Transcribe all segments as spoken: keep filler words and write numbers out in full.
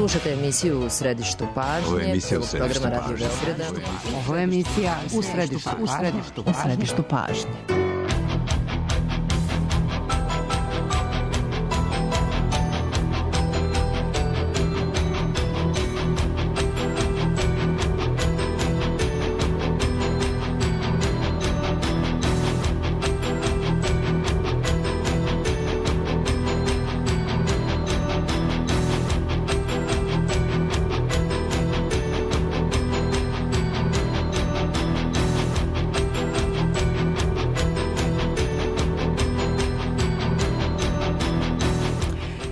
Slušate emisiju U središtu pažnje. Ovo je emisija U središtu pažnje. Ovo je emisija U središtu pažnje. U središtu pažnje.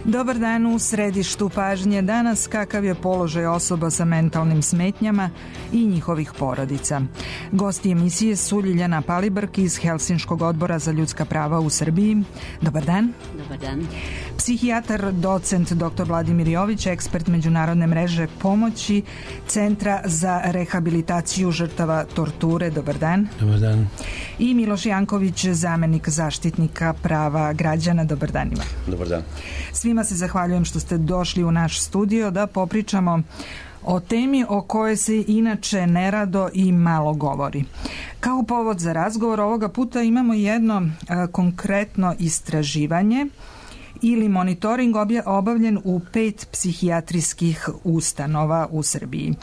Dobar dan, u središtu pažnje danas kakav je položaj osoba sa mentalnim smetnjama i njihovih porodica. Gosti emisije su Ljiljana Palibrk iz Helsinškog odbora za ljudska prava u Srbiji. Dobar dan. Dobar dan. Psihijatar, docent doktor Vladimir Jović, ekspert Međunarodne mreže pomoći Centra za rehabilitaciju žrtava torture. Dobar dan. Dobar dan. I Miloš Janković, zamenik zaštitnika prava građana. Dobar dan ima. Dobar dan. Svima se zahvaljujem što ste došli u naš studio da popričamo o temi o kojoj se inače nerado i malo govori. Kao povod za razgovor ovoga puta imamo jedno a, konkretno istraživanje ili monitoring obavljen u pet psihijatrijskih ustanova u Srbiji.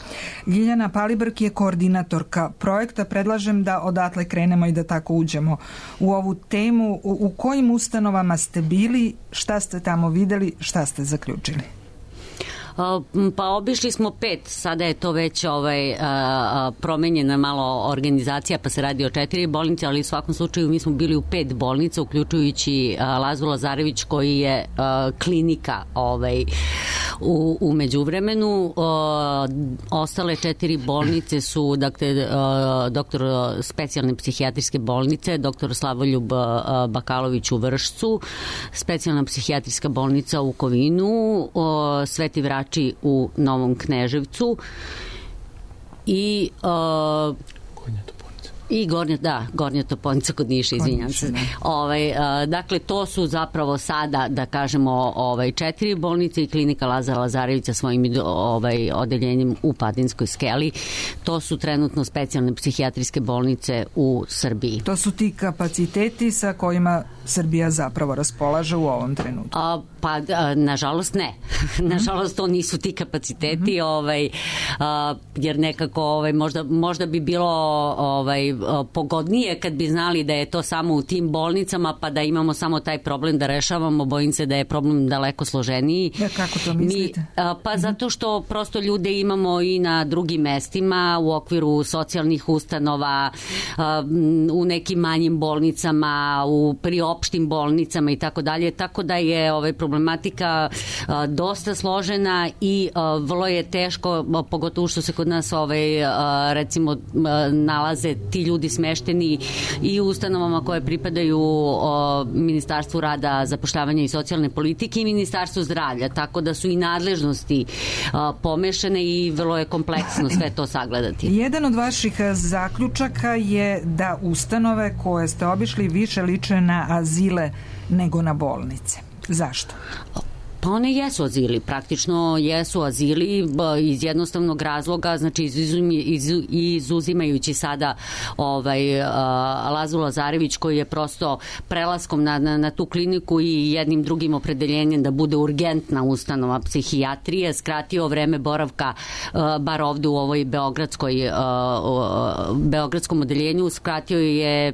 Ljiljana Palibrk je koordinatorka projekta. Predlažem da odatle krenemo i da tako uđemo u ovu temu. U, u kojim ustanovama ste bili, šta ste tamo videli, šta ste zaključili? Pa obišli smo pet, sada je to već ovaj, promenjena malo organizacija, pa se radi o četiri bolnice, ali u svakom slučaju mi smo bili u pet bolnica, uključujući Lazu Lazarević koji je klinika ovaj, u, u međuvremenu. Ostale četiri bolnice su dakle, doktor specijalne psihijatrijske bolnice, doktor Slavoljub Bakalović u Vršcu, specijalna psihijatrijska bolnica u Kovinu, Sveti Vrač u Novom Kneževcu i uh, i Gornja, da, Gornja Toponica kod Niša, izvinjam se. Ovaj, dakle, to su zapravo sada, da kažemo, ovaj, četiri bolnice i klinika Lazara Lazarevića svojim ovaj, odeljenjem u Padinskoj skeli. To su trenutno specijalne psihijatrijske bolnice u Srbiji. To su ti kapaciteti sa kojima Srbija zapravo raspolaže u ovom trenutku? A, pa, a, nažalost ne. Nažalost, to nisu ti kapaciteti, mm-hmm. ovaj, a, jer nekako ovaj, možda, možda bi bilo ovaj, pogodnije kad bi znali da je to samo u tim bolnicama, pa da imamo samo taj problem da rešavamo. Bojim se da je problem daleko složeniji. Ja, kako to mislite? Mi, a, pa mm-hmm. zato što prosto ljude imamo i na drugim mestima, u okviru socijalnih ustanova, a, u nekim manjim bolnicama, u priopštim bolnicama i tako dalje, tako da je ovaj, problematika a, dosta složena i a, vrlo je teško, a, pogotovo što se kod nas ovaj, a, recimo a, nalaze ti ljudi smešteni i u ustanovama koje pripadaju o, Ministarstvu rada, zapošljavanja i socijalne politike i Ministarstvu zdravlja, tako da su i nadležnosti o, pomešane i vrlo je kompleksno sve to sagledati. Jedan od vaših zaključaka je da ustanove koje ste obišli više liče na azile nego na bolnice. Zašto? Pa one jesu azili, praktično jesu azili iz jednostavnog razloga, znači izuzimajući sada ovaj, Lazu Lazarević koji je prosto prelaskom na, na, na tu kliniku i jednim drugim opredeljenjem da bude urgentna ustanova psihijatrije, skratio vreme boravka bar ovde u ovoj beogradskoj beogradskom odeljenju, skratio je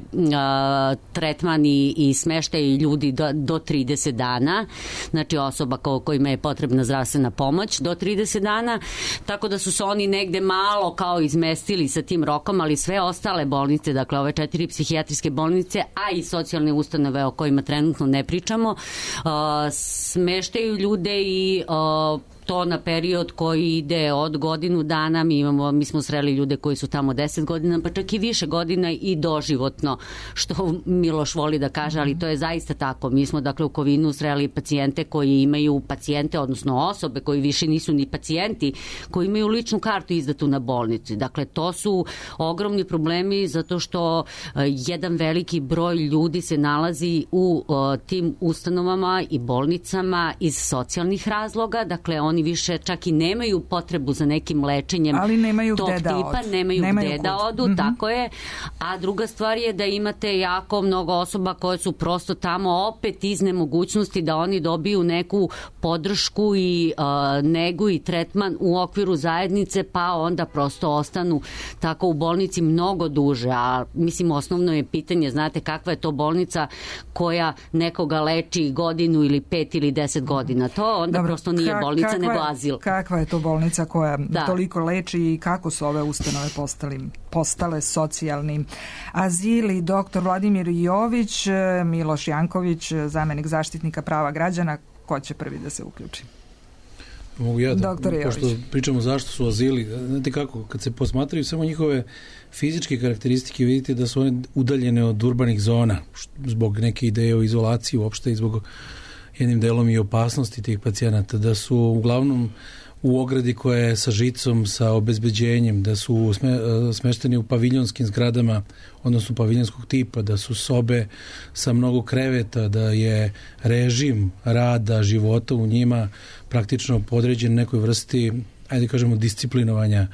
tretman i, i smeštaj ljudi do, do trideset dana, znači osoba kojima je potrebna zdravstvena pomoć do trideset dana, tako da su se oni negde malo kao izmestili sa tim rokom, ali sve ostale bolnice, dakle ove četiri psihijatrijske bolnice, a i socijalne ustanove o kojima trenutno ne pričamo, uh, smeštaju ljude i uh, to na period koji ide od godinu dana. Mi imamo, mi smo sreli ljude koji su tamo deset godina, pa čak i više godina i doživotno, što Miloš voli da kaže, ali to je zaista tako. Mi smo dakle u Kovinu sreli pacijente koji imaju pacijente, odnosno osobe koji više nisu ni pacijenti, koji imaju ličnu kartu izdatu na bolnici. Dakle, to su ogromni problemi zato što uh, jedan veliki broj ljudi se nalazi u uh, tim ustanovama i bolnicama iz socijalnih razloga. Dakle, on oni više čak i nemaju potrebu za nekim lečenjem ali nemaju tog gde da tipa, odu. nemaju, nemaju gde da odu, mm-hmm. tako je. A druga stvar je da imate jako mnogo osoba koje su prosto tamo opet iz nemogućnosti da oni dobiju neku podršku i uh, negu i tretman u okviru zajednice, pa onda prosto ostanu tako u bolnici mnogo duže. A mislim, osnovno je pitanje, znate, kakva je to bolnica koja nekoga leči godinu ili pet ili deset godina. To onda Dobro, prosto nije bolnica, kakva, nego azil. Kakva je to bolnica koja da. toliko leči i kako su ove ustanove postali, postale socijalni azili? Doktor Vladimir Jović, Miloš Janković, zamenik zaštitnika prava građana, ko će prvi da se uključi? Mogu ja da, pošto pričamo zašto su azili, znate kako, kad se posmatraju samo njihove fizičke karakteristike, vidite da su one udaljene od urbanih zona, zbog neke ideje o izolaciji uopšte i zbog jednim delom i opasnosti tih pacijenata, da su uglavnom u ogradi koja je sa žicom, sa obezbeđenjem, da su sme, smešteni u paviljonskim zgradama, odnosno paviljonskog tipa, da su sobe sa mnogo kreveta, da je režim rada, života u njima praktično podređen nekoj vrsti, ajde kažemo, disciplinovanja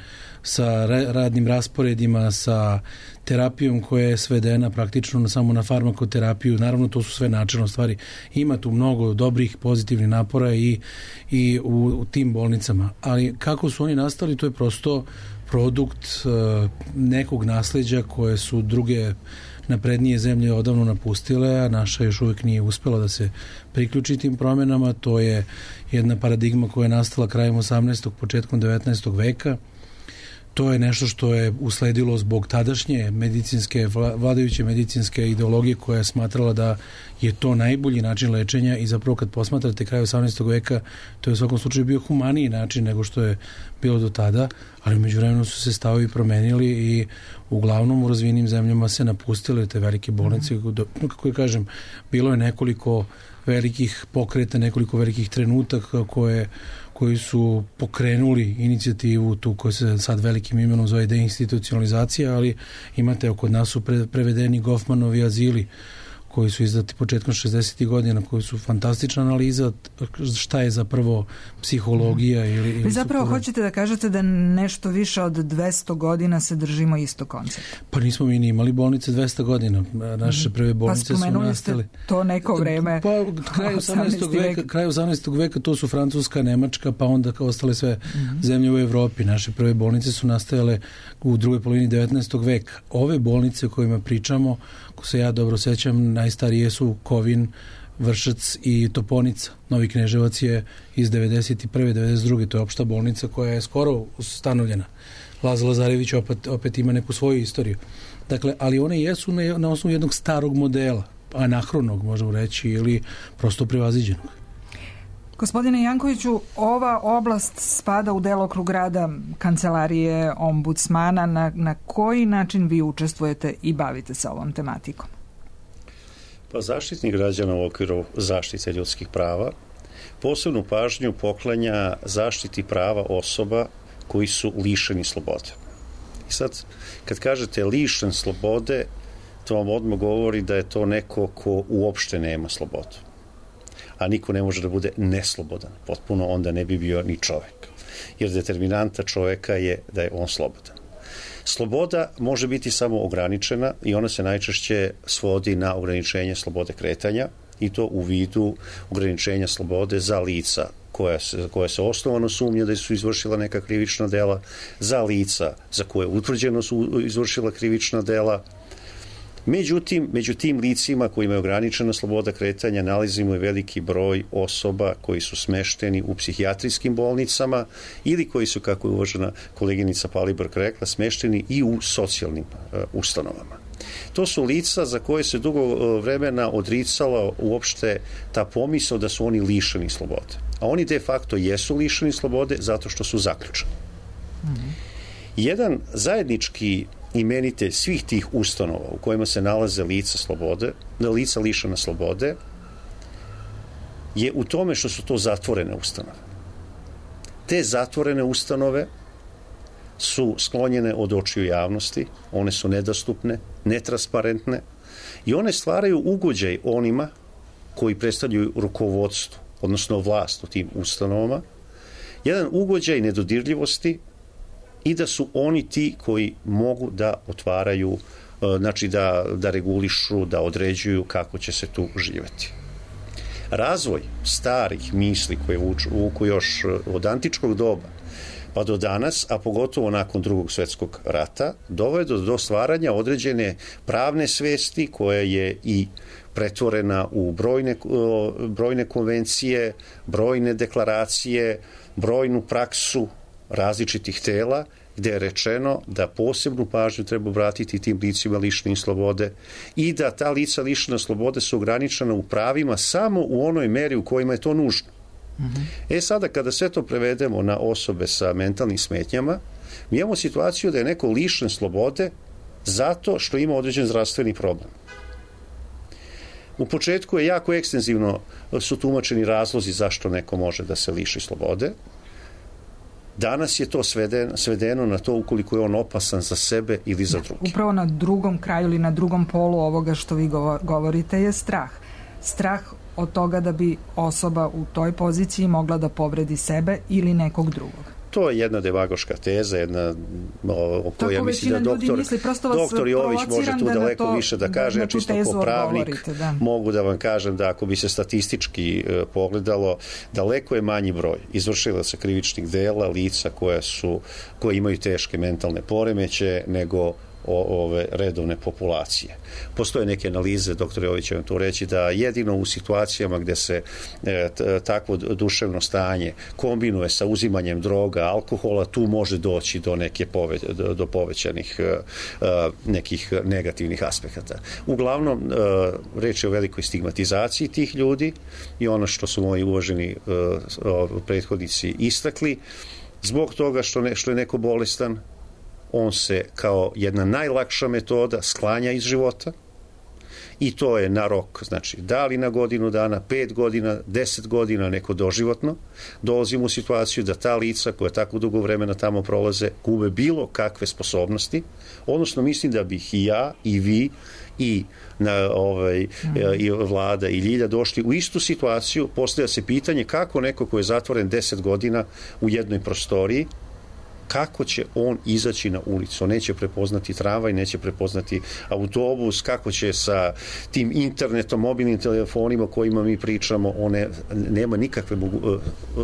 sa radnim rasporedima, sa terapijom koja je svedena praktično samo na farmakoterapiju. Naravno, to su sve načelno stvari. Ima tu mnogo dobrih, pozitivnih napora i, i u, u tim bolnicama. Ali kako su oni nastali, to je prosto produkt uh, nekog nasleđa koje su druge naprednije zemlje odavno napustile, a naša još uvijek nije uspela da se priključi tim promjenama. To je jedna paradigma koja je nastala krajem osamnaestog. početkom devetnaestog veka. To je nešto što je usledilo zbog tadašnje medicinske, vladajuće medicinske ideologije koja je smatrala da je to najbolji način lečenja i zapravo kad posmatrate kraj osamnaestog veka, to je u svakom slučaju bio humaniji način nego što je bilo do tada, ali u međuvremenu su se stavovi promenili i uglavnom u razvijenim zemljama se napustile te velike bolnice. Mm. Kako je kažem, bilo je nekoliko velikih pokreta, nekoliko velikih trenutaka koje koji su pokrenuli inicijativu tu koja se sad velikim imenom zove deinstitucionalizacija, ali imate oko nas su pre, prevedeni Goffmanovi azili koji su izdati početkom šezdesetih godina, koji su fantastična analiza šta je zapravo psihologija. Ili, ili Vi zapravo supora. Hoćete da kažete da nešto više od dvesto godina se držimo isto koncepta? Pa nismo mi ni imali bolnice dvesto godina. Naše prve bolnice pa su nastale. Ste to neko vreme. Pa kraj osamnaestog veka, kraj osamnaestog veka to su Francuska, Nemačka, pa onda kao ostale sve mm-hmm. zemlje u Evropi. Naše prve bolnice su nastajale u drugoj polovini devetnaestog veka. Ove bolnice o kojima pričamo, ako se ja dobro sećam, najstarije su Kovin, Vršac i Toponica. Novi Kneževac je iz devedeset prve devedeset druge To je opšta bolnica koja je skoro ustanovljena. Laza Lazarević opet, opet ima neku svoju istoriju. Dakle, ali one jesu na, na osnovu jednog starog modela, anahronog, možemo reći, ili prosto prevaziđenog. Gospodine Jankoviću, ova oblast spada u delokrug rada kancelarije ombudsmana. Na, na koji način vi učestvujete i bavite se ovom tematikom? Pa Zaštitnik građana u okviru zaštite ljudskih prava posebnu pažnju poklanja zaštiti prava osoba koji su lišeni slobode. I sad, kad kažete lišen slobode, to vam odmah govori da je to neko ko uopšte nema slobodu. A niko ne može da bude neslobodan. Potpuno onda ne bi bio ni čovek. Jer determinanta čoveka je da je on slobodan. Sloboda može biti samo ograničena i ona se najčešće svodi na ograničenje slobode kretanja i to u vidu ograničenja slobode za lica koja se, koja se osnovano sumnja da su izvršila neka krivična dela, za lica za koje utvrđeno su izvršila krivična dela. Međutim, među tim licima koji imaju ograničena sloboda kretanja nalazimo i veliki broj osoba koji su smešteni u psihijatrijskim bolnicama ili koji su, kako je uvažena koleginica Palibrk rekla, smešteni i u socijalnim uh, ustanovama. To su lica za koje se dugo uh, vremena odricala uopšte ta pomisao da su oni lišeni slobode. A oni de facto jesu lišeni slobode zato što su zaključani. Mm-hmm. Jedan zajednički imenitelj svih tih ustanova u kojima se nalaze lica slobode, lica lišena slobode, je u tome što su to zatvorene ustanove. Te zatvorene ustanove su sklonjene od očiju javnosti, one su nedostupne, netransparentne i one stvaraju ugođaj onima koji predstavljaju rukovodstvo, odnosno vlast u tim ustanovama, jedan ugođaj nedodirljivosti i da su oni ti koji mogu da otvaraju, znači da, da regulišu, da određuju kako će se tu živeti. Razvoj starih misli koje vuku još od antičkog doba pa do danas, a pogotovo nakon drugog svjetskog rata, doveo do, do stvaranja određene pravne svesti koja je i pretvorena u brojne, brojne konvencije, brojne deklaracije, brojnu praksu različitih tela, gde je rečeno da posebnu pažnju treba obratiti tim licima lišene slobode i da ta lica lišene slobode su ograničena u pravima samo u onoj meri u kojima je to nužno. Mm-hmm. E sada, kada sve to prevedemo na osobe sa mentalnim smetnjama, mi imamo situaciju da je neko lišen slobode zato što ima određen zdravstveni problem. U početku je jako ekstenzivno su tumačeni razlozi zašto neko može da se liši slobode. Danas je to svedeno, svedeno na to ukoliko je on opasan za sebe ili za druge. Upravo na drugom kraju ili na drugom polu ovoga što vi govorite je strah. Strah od toga da bi osoba u toj poziciji mogla da povredi sebe ili nekog drugog. To je jedna demagoška teza, jedna o kojoj ja mislim da doktor, misli, doktor Jović može tu daleko to, više da kaže, da ja čisto ko pravnik da. mogu da vam kažem da ako bi se statistički uh, pogledalo, daleko je manji broj izvršilaca krivičnih dela, lica koja su, koje imaju teške mentalne poremeće, nego o, ove redovne populacije. Postoje neke analize, doktor Jović će vam to reći, da jedino u situacijama gde se e, t, takvo duševno stanje kombinuje sa uzimanjem droga, alkohola, tu može doći do neke pove, do, do povećanih e, nekih negativnih aspekata. Uglavnom, e, reč je o velikoj stigmatizaciji tih ljudi i ono što su moji uvaženi e, prethodnici istakli, zbog toga što, ne, što je neko bolestan, on se kao jedna najlakša metoda sklanja iz života i to je na rok, znači da li na godinu dana, pet godina, deset godina, neko doživotno, dolazimo u situaciju da ta lica koja tako dugo vremena tamo prolaze gube bilo kakve sposobnosti, odnosno mislim da bih i ja i vi i na ovaj i vlada i Ljilja došli u istu situaciju. Postavlja se pitanje kako neko ko je zatvoren deset godina u jednoj prostoriji, kako će on izaći na ulicu? On neće prepoznati tramvaj, neće prepoznati autobus, kako će sa tim internetom, mobilnim telefonima o kojima mi pričamo, one nema nikakve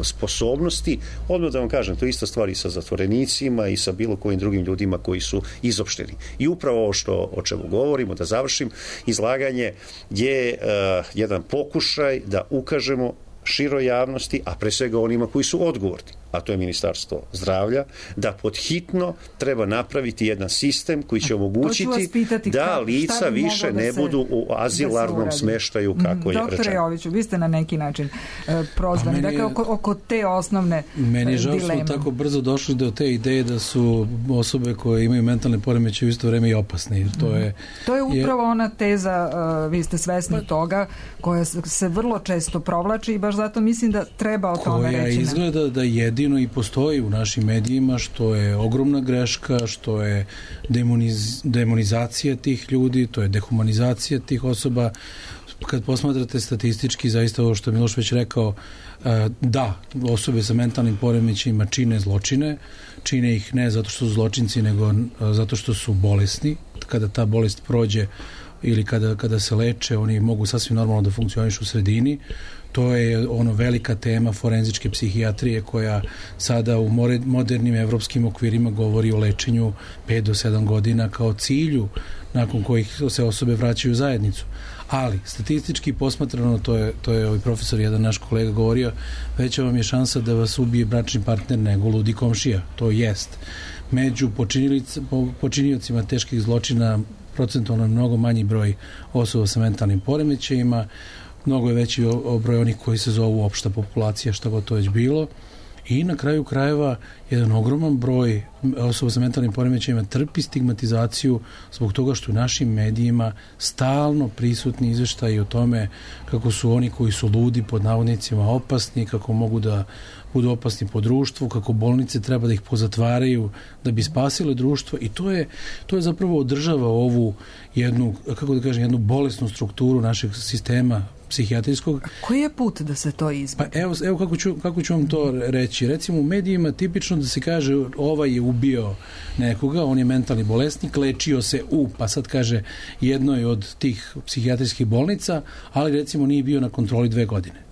sposobnosti. Odmah da vam kažem, to je ista stvar i sa zatvorenicima i sa bilo kojim drugim ljudima koji su izopšteni. I upravo ovo što, o čemu govorimo, da završim, izlaganje je uh, jedan pokušaj da ukažemo široj javnosti, a pre svega onima koji su odgovorni, a to je Ministarstvo zdravlja, da podhitno treba napraviti jedan sistem koji će omogućiti pitati, da ka, lica više da ne se, budu u azilarnom da smeštaju kako mm, je rečeno. Doktore Joviću, vi ste na neki način e, prozvani, dakle oko, oko te osnovne dileme. Meni je žao smo tako brzo došli do te ideje da su osobe koje imaju mentalne poremećaje u isto vreme i opasne. Jer to, je, to je upravo je, ona teza, uh, vi ste svesni pa, toga, koja se vrlo često provlači i baš zato mislim da treba o tome reći. Koja izgleda da jedino i postoji u našim medijima, što je ogromna greška, što je demoniz, demonizacija tih ljudi, to je dehumanizacija tih osoba. Kad posmatrate statistički, zaista ovo što je Miloš već rekao, da, osobe sa mentalnim poremećajima čine zločine, čine ih ne zato što su zločinci, nego zato što su bolesni. Kada ta bolest prođe ili kada, kada se leče, oni mogu sasvim normalno da funkcionišu u sredini. To je ono velika tema forenzičke psihijatrije koja sada u modernim evropskim okvirima govori o lečenju pet do sedam godina kao cilju nakon kojih se osobe vraćaju u zajednicu. Ali, statistički posmatrano, to je, to je ovaj profesor, jedan naš kolega govorio, veća vam je šansa da vas ubije bračni partner nego ludi komšija. To jest. Među počiniocima teških zločina procentualno mnogo manji broj osoba sa mentalnim poremećajima, mnogo je veći broj onih koji se zovu opšta populacija, šta god to već bilo. I na kraju krajeva jedan ogroman broj osoba sa mentalnim poremećajima trpi stigmatizaciju zbog toga što u našim medijima stalno prisutni izveštaji o tome kako su oni koji su ludi pod navodnicima opasni, kako mogu da budu opasni po društvu, kako bolnice treba da ih pozatvaraju da bi spasile društvo i to je, to je zapravo održava ovu jednu, kako da kažem, jednu bolesnu strukturu našeg sistema psihijatrijskog. Koji je put da se to izbjegne? Pa evo, evo kako, ću, kako ću vam to reći. Recimo u medijima tipično da se kaže ovaj je ubio nekoga, on je mentalni bolesnik, lečio se u, pa sad kaže jednoj od tih psihijatrijskih bolnica, ali recimo nije bio na kontroli dve godine.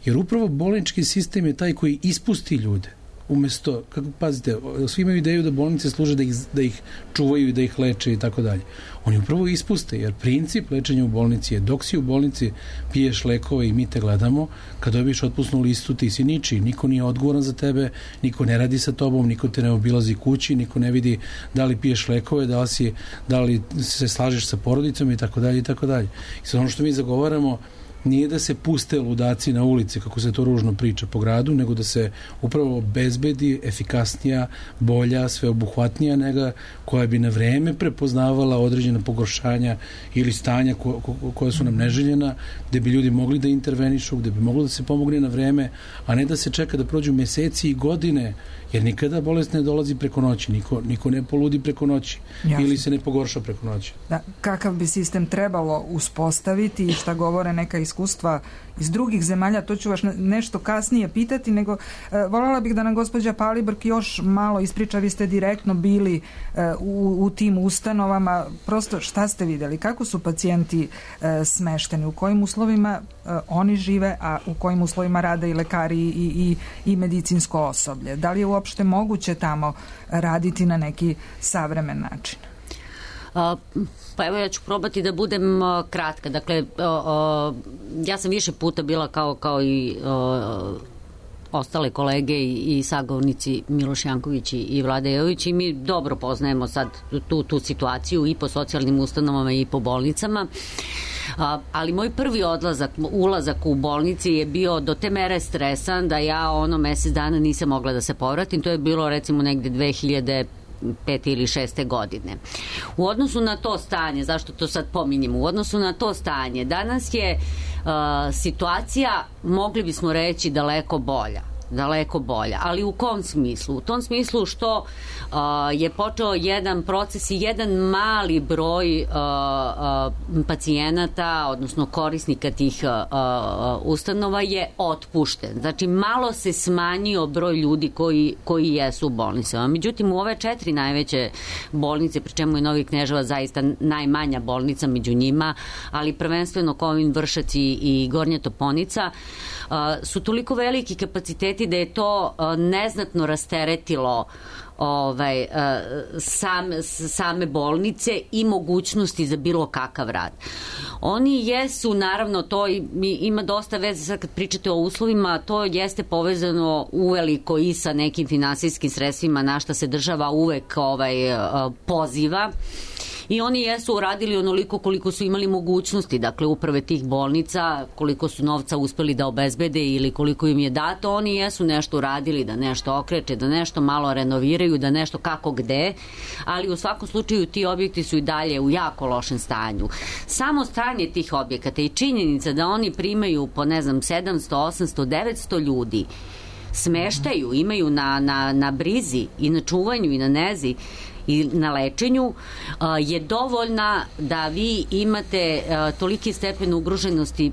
Jer upravo bolnički sistem je taj koji ispusti ljude. Umesto, kako pazite, svi imaju ideju da bolnice služe da ih, da ih čuvaju i da ih leče i tako dalje. Oni upravo ispuste, jer princip lečenja u bolnici je dok si u bolnici piješ lekove i mi te gledamo, kad dobiješ otpusnu listu ti si ničiji, niko nije odgovoran za tebe, niko ne radi sa tobom, niko te ne obilazi kući, niko ne vidi da li piješ lekove, da li, si, da li se slažeš sa porodicom i tako dalje i tako dalje. I sad ono što mi zagovaramo nije da se puste ludaci na ulici, kako se to ružno priča po gradu, nego da se upravo obezbedi efikasnija, bolja, sveobuhvatnija nega koja bi na vreme prepoznavala određena pogoršanja ili stanja ko, ko, koja su nam neželjena, gde bi ljudi mogli da intervenišu, gde bi moglo da se pomogne na vreme, a ne da se čeka da prođu meseci i godine, jer nikada bolest ne dolazi preko noći, niko, niko ne poludi preko noći. Jasne. Ili se ne pogorša preko noći. Da, kakav bi sistem trebalo uspostaviti i šta govore neka iskustva iz drugih zemalja, to ću vas nešto kasnije pitati, nego e, voljela bih da nam gospođa Palibrk još malo ispriča, vi ste direktno bili e, u, u tim ustanovama, prosto šta ste vidjeli, kako su pacijenti e, smešteni, u kojim uslovima e, oni žive, a u kojim uslovima rade i lekari i, i, i medicinsko osoblje, da li je uopšte moguće tamo raditi na neki savremen način? Pa evo ja ću probati da budem uh, kratka. Dakle, uh, uh, ja sam više puta bila kao, kao i uh, ostale kolege i, i sagovornici Miloš Janković i, i Vlada Jović i mi dobro poznajemo sad tu, tu situaciju i po socijalnim ustanovama i po bolnicama. Uh, ali moj prvi odlazak, ulazak u bolnici je bio do te mere stresan da ja ono mesec dana nisam mogla da se povratim. To je bilo recimo negde dve hiljade pete ili šeste godine. U odnosu na to stanje, zašto to sad pominjem, u odnosu na to stanje, danas je uh, situacija, mogli bismo reći, daleko bolja. daleko bolja. Ali u kom smislu? U tom smislu što uh, je počeo jedan proces i jedan mali broj uh, uh, pacijenata, odnosno korisnika tih uh, uh, ustanova je otpušten. Znači, malo se smanjio broj ljudi koji, koji jesu u bolnicama. Međutim, u ove četiri najveće bolnice, pri čemu je Novi Kneževac zaista najmanja bolnica među njima, ali prvenstveno Kovin, Vršac i, i Gornja Toponica, uh, su toliko veliki kapaciteti da je to uh, neznatno rasteretilo ovaj, uh, sam, same bolnice i mogućnosti za bilo kakav rad. Oni jesu, naravno, to ima dosta veze, sad kad pričate o uslovima, to jeste povezano uveliko i sa nekim finansijskim sredstvima na šta se država uvek ovaj, uh, poziva. I oni jesu uradili onoliko koliko su imali mogućnosti, dakle uprave tih bolnica, koliko su novca uspeli da obezbede ili koliko im je dato, oni jesu nešto uradili da nešto okreče, da nešto malo renoviraju, da nešto kako gde, ali u svakom slučaju ti objekti su i dalje u jako lošem stanju. Samo stanje tih objekata i činjenica da oni primaju po ne znam sedamsto, osamsto, devetsto ljudi, smeštaju, imaju na, na, na brizi i na čuvanju i na nezi i na lečenju je dovoljna da vi imate toliki stepen ugroženosti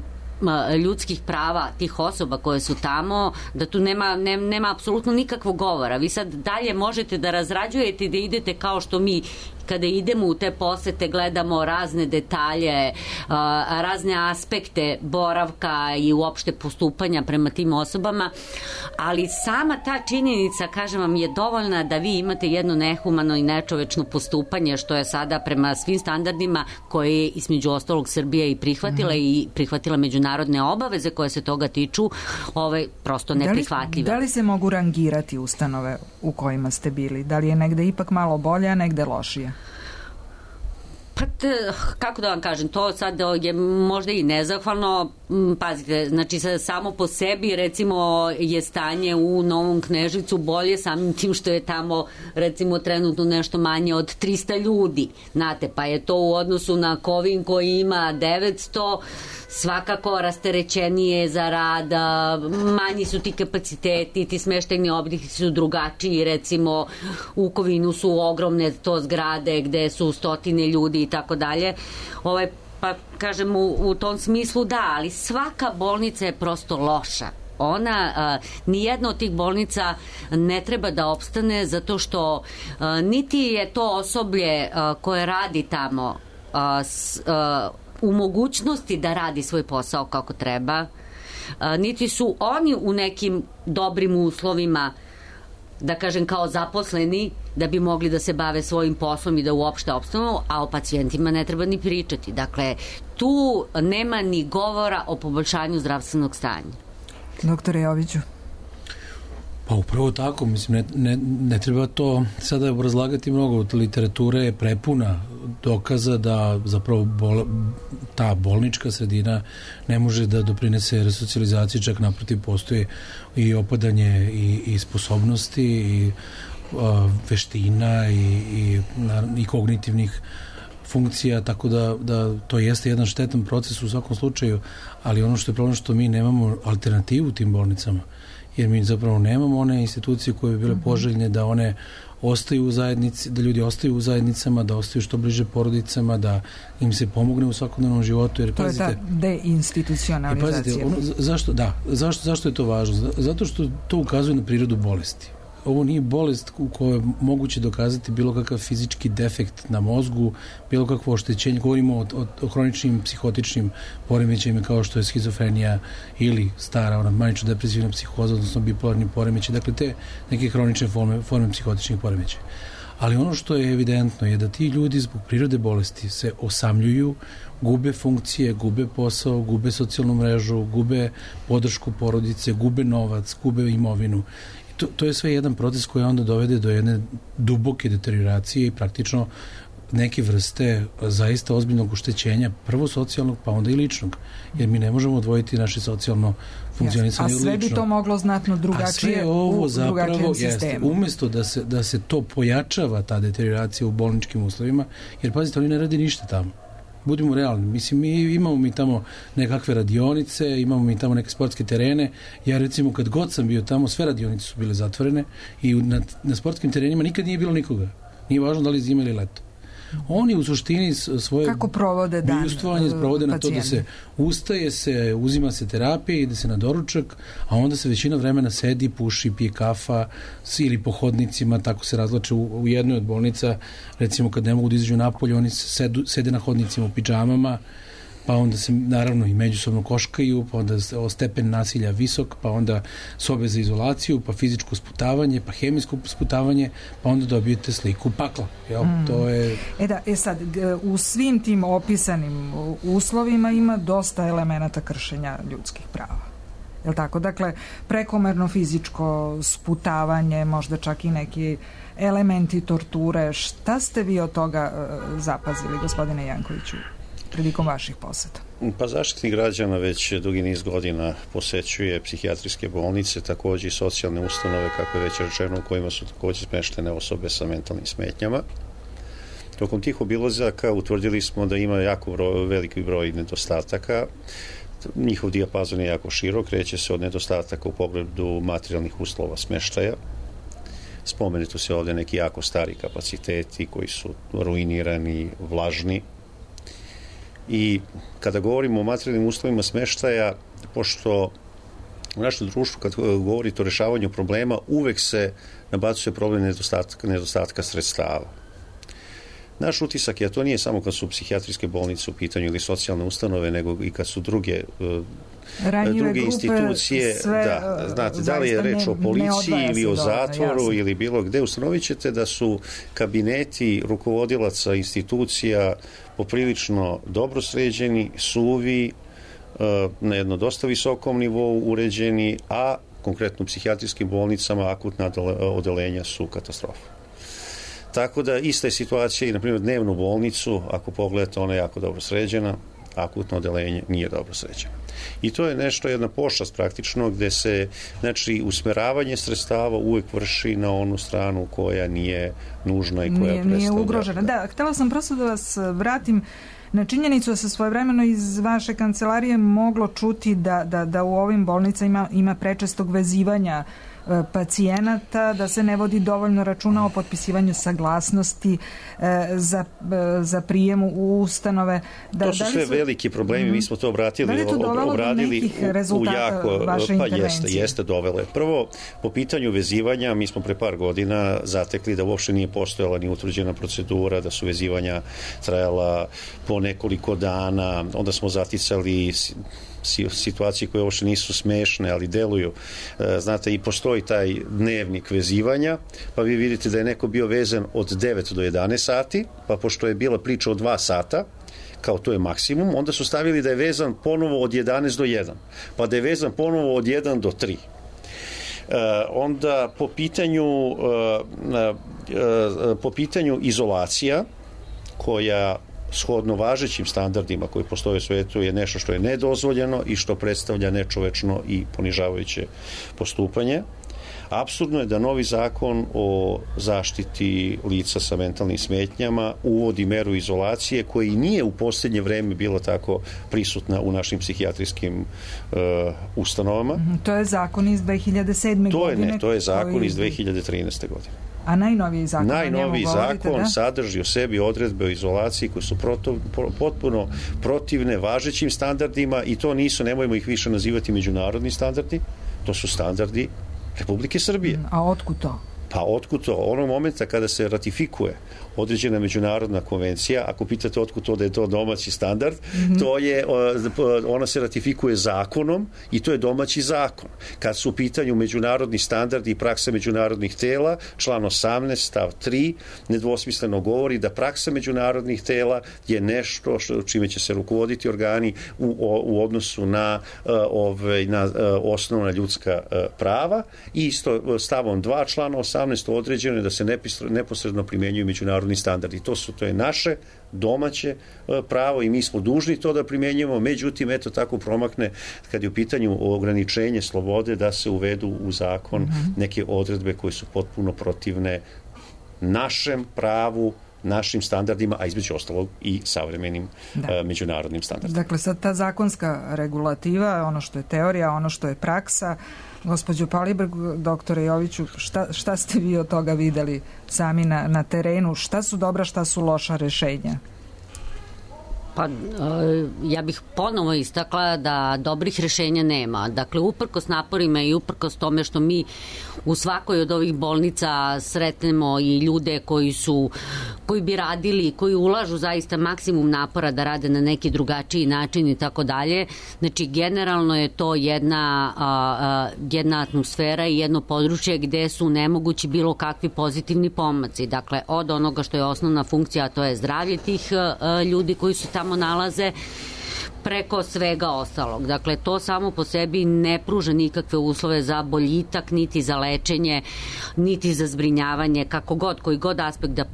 ljudskih prava tih osoba koje su tamo, da tu nema, ne, nema apsolutno nikakvog govora. Vi sad dalje možete da razrađujete i da idete kao što mi kada idemo u te posete gledamo razne detalje, razne aspekte boravka i uopšte postupanja prema tim osobama, ali sama ta činjenica, kažem vam, je dovoljna da vi imate jedno nehumano i nečovečno postupanje, što je sada prema svim standardima koje je između ostalog Srbija i prihvatila mm. i prihvatila međunarodne obaveze koje se toga tiču, ovaj, prosto neprihvatljive. Da li, da li se mogu rangirati ustanove u kojima ste bili? Da li je negde ipak malo bolje, a negde lošije? Pa, te, kako da vam kažem, to sad je možda i nezahvalno. Pazite, znači samo po sebi recimo je stanje u Novom Kneževcu bolje samim tim što je tamo recimo trenutno nešto manje od trista ljudi, znate, pa je to u odnosu na Kovin koji ima devetsto, svakako rasterećenije za rad, manji su ti kapaciteti, ti smeštajni objekti su drugačiji, recimo u Kovinu su ogromne to zgrade gde su stotine ljudi i tako dalje. Ovaj pa kažem u, u tom smislu da, ali svaka bolnica je prosto loša. Ona, a, nijedna od tih bolnica ne treba da opstane zato što a, niti je to osoblje a, koje radi tamo a, s, a, u mogućnosti da radi svoj posao kako treba, a, niti su oni u nekim dobrim uslovima, da kažem kao zaposleni, da bi mogli da se bave svojim poslom i da uopšte opstanu, a o pacijentima ne treba ni pričati. Dakle, tu nema ni govora o poboljšanju zdravstvenog stanja. Doktore Joviću. Pa upravo tako, mislim, ne, ne, ne treba to sada obrazlagati mnogo. Literatura je prepuna dokaza da zapravo bol, ta bolnička sredina ne može da doprinese resocijalizaciji, čak naprotiv postoji i opadanje i, i sposobnosti i a, veština i, i, i kognitivnih funkcija, tako da, da to jeste jedan štetan proces u svakom slučaju, ali ono što je problem što mi nemamo alternativu tim bolnicama, jer mi zapravo nemamo one institucije koje bi bile poželjne da one ostaju u zajednici, da ljudi ostaju u zajednicama, da ostaju što bliže porodicama, da im se pomogne u svakodnevnom životu. Jer, to pazite, je ta deinstitucionalizacija. Pazite, ono, zašto, da, zašto, zašto je to važno? Zato što to ukazuje na prirodu bolesti. Ovo nije bolest u kojoj je moguće dokazati bilo kakav fizički defekt na mozgu, bilo kakvo oštećenje. Govorimo o, o, o hroničnim psihotičnim poremećajima kao što je schizofrenija ili stara, ona manično-depresivna psihoza, odnosno bipolarni poremećaj. Dakle, te neke hronične forme, forme psihotičnih poremećaja. Ali ono što je evidentno je da ti ljudi zbog prirode bolesti se osamljuju, gube funkcije, gube posao, gube socijalnu mrežu, gube podršku porodice, gube novac, gube imovinu. To, to je sve jedan proces koji onda dovede do jedne duboke deterioracije i praktično neke vrste zaista ozbiljnog oštećenja, prvo socijalnog, pa onda i ličnog. Jer mi ne možemo odvojiti naše socijalno funkcionisanje od ličnog. A sve bi to moglo znatno drugačije ovo u drugačijem sistemu. Jeste, umjesto da se, da se to pojačava, ta deterioracija u bolničkim uslovima, jer pazite, oni ne radi ništa tamo. Budimo realni. Mislim, mi imamo mi tamo nekakve radionice, imamo mi tamo neke sportske terene. Ja recimo kad god sam bio tamo, sve radionice su bile zatvorene i na, na sportskim terenima nikad nije bilo nikoga. Nije važno da li zima ili leto. Oni u suštini svoje kako provode dan bivstvovanje provode na to da se ustaje se, uzima se terapija, ide se na doručak, a onda se većina vremena sedi, puši, pije kafa ili po hodnicima, tako se razlače u, u jednoj od bolnica, recimo kad ne mogu da izađu napolje, oni sedu, sede na hodnicima u pidžamama, pa onda se naravno i međusobno koškaju, pa onda stepen nasilja visok, pa onda sobe za izolaciju, pa fizičko sputavanje, pa hemijsko sputavanje, pa onda dobijete sliku pakla. Jel? Mm. To je... E da, e sad, u svim tim opisanim uslovima ima dosta elemenata kršenja ljudskih prava. Jel tako? Dakle, prekomerno fizičko sputavanje, možda čak i neki elementi torture. Šta ste vi od toga uh, zapazili, gospodine Jankoviću, prilikom vaših poseta? Pa Zaštitnik građana već dugi niz godina posećuje psihijatrijske bolnice, takođe i socijalne ustanove, kako je već rečeno, u kojima su takođe smeštene osobe sa mentalnim smetnjama. Tokom tih obilazaka utvrdili smo da ima jako broj, veliki broj nedostataka. Njihov dijapazon je jako širok, kreće se od nedostataka u pogledu materijalnih uslova smeštaja. Spomenuto se ovde neki jako stari kapaciteti koji su ruinirani, vlažni. I kada govorimo o materijalnim uslovima smeštaja, pošto u našem društvu kad govorite o rešavanju problema, uvek se nabacuje problem nedostatka, nedostatka sredstava. Naš utisak je, a to nije samo kad su psihijatrijske bolnice u pitanju ili socijalne ustanove, nego i kad su druge ranjive druge grupe, institucije, sve, da, znate, da li je reč o policiji ili o zatvoru jasno. Ili bilo gde, ustanovit ćete da su kabineti rukovodilaca institucija poprilično dobro sređeni, suvi, na jedno dosta visokom nivou uređeni, a konkretno u psihijatrijskim bolnicama akutna odelenja su katastrofa. Tako da ista je situacija i na primjer dnevnu bolnicu, ako pogledate, ona je jako dobro sređena, akutno odelenje nije dobro sređeno. I to je nešto, jedna pošast praktično, gde se, znači, usmeravanje sredstava uvek vrši na onu stranu koja nije nužna i koja nije, predstavlja. Nije ugrožena. Da, htela sam prosto da vas vratim na činjenicu da se svojevremeno iz vaše kancelarije moglo čuti da, da, da u ovim bolnicama ima, ima prečestog vezivanja pacijenata, da se ne vodi dovoljno računa o potpisivanju saglasnosti za, za prijem u ustanove. Da, to su sve su... veliki problemi, mm. mi smo to obratili, da li je to dovelo obradili do nekih rezultata u jako, vaše pa intervencije? Jeste, jeste dovele. Prvo, po pitanju vezivanja, mi smo pre par godina zatekli da uopšte nije postojala ni utvrđena procedura, da su vezivanja trajala po nekoliko dana, onda smo zaticali situacije koje uopšte nisu smešne, ali deluju. Znate, i postoji taj dnevnik vezivanja, pa vi vidite da je neko bio vezan od devet do jedanaest sati, pa pošto je bila priča od dva sata, kao to je maksimum, onda su stavili da je vezan ponovo od jedanaest do jedan, pa da je vezan ponovo od jedan do tri. Uh, onda po pitanju uh, uh, uh, po pitanju izolacija, koja shodno važećim standardima koji postoje u svetu je nešto što je nedozvoljeno i što predstavlja nečovečno i ponižavajuće postupanje. Apsurdno je da novi zakon o zaštiti lica sa mentalnim smetnjama uvodi meru izolacije koja i nije u posljednje vreme bila tako prisutna u našim psihijatrijskim uh, ustanovama. To je zakon iz dve hiljade sedme to godine. Je ne, to je zakon koji... iz dve hiljade trinaeste godine. A najnoviji zakon? Najnoviji zakon da? sadrži u sebi odredbe o izolaciji koje su proto, potpuno protivne važećim standardima i to nisu, nemojmo ih više nazivati međunarodni standardi, to su standardi Republike Srbije. A otkud to? Pa otkud to? Onog momenta kada se ratifikuje određena međunarodna konvencija, ako pitate otkud to da je to domaći standard, mm-hmm. to je, ona se ratifikuje zakonom i to je domaći zakon. Kad su u pitanju međunarodni standardi i praksa međunarodnih tela, član osamnaest stav tri nedvosmisleno govori da praksa međunarodnih tela je nešto što, čime će se rukovoditi organi u, u odnosu na, ove, na osnovna ljudska prava i isto stavom dva člana osamnaest određeno je da se neposredno primenjuju međunarodni standardi. To su, to je naše domaće pravo i mi smo dužni to da primenjujemo, međutim, eto tako promakne kad je u pitanju ograničenje slobode da se uvedu u zakon mm-hmm. neke odredbe koje su potpuno protivne našem pravu, našim standardima, a između ostalog i savremenim da. uh, međunarodnim standardima. Dakle, sad ta zakonska regulativa, ono što je teorija, ono što je praksa, gospođo Palibrg, doktore Joviću, šta, šta ste vi od toga videli sami na, na terenu? Šta su dobra, šta su loša rešenja? Pa ja bih ponovo istakla da dobrih rešenja nema. Dakle, uprkos naporima i uprkos tome što mi u svakoj od ovih bolnica sretnemo i ljude koji su, koji bi radili, koji ulažu zaista maksimum napora da rade na neki drugačiji način i tako dalje. Znači, generalno je to jedna, a, a, jedna atmosfera i jedno područje gde su nemogući bilo kakvi pozitivni pomaci. Dakle, od onoga što je osnovna funkcija, a to je zdravlje tih a, ljudi koji su tamo nalaze, preko svega ostalog. Dakle, to samo po sebi ne pruža nikakve uslove za boljitak, niti za lečenje, niti za zbrinjavanje, kako god, koji god aspekt da,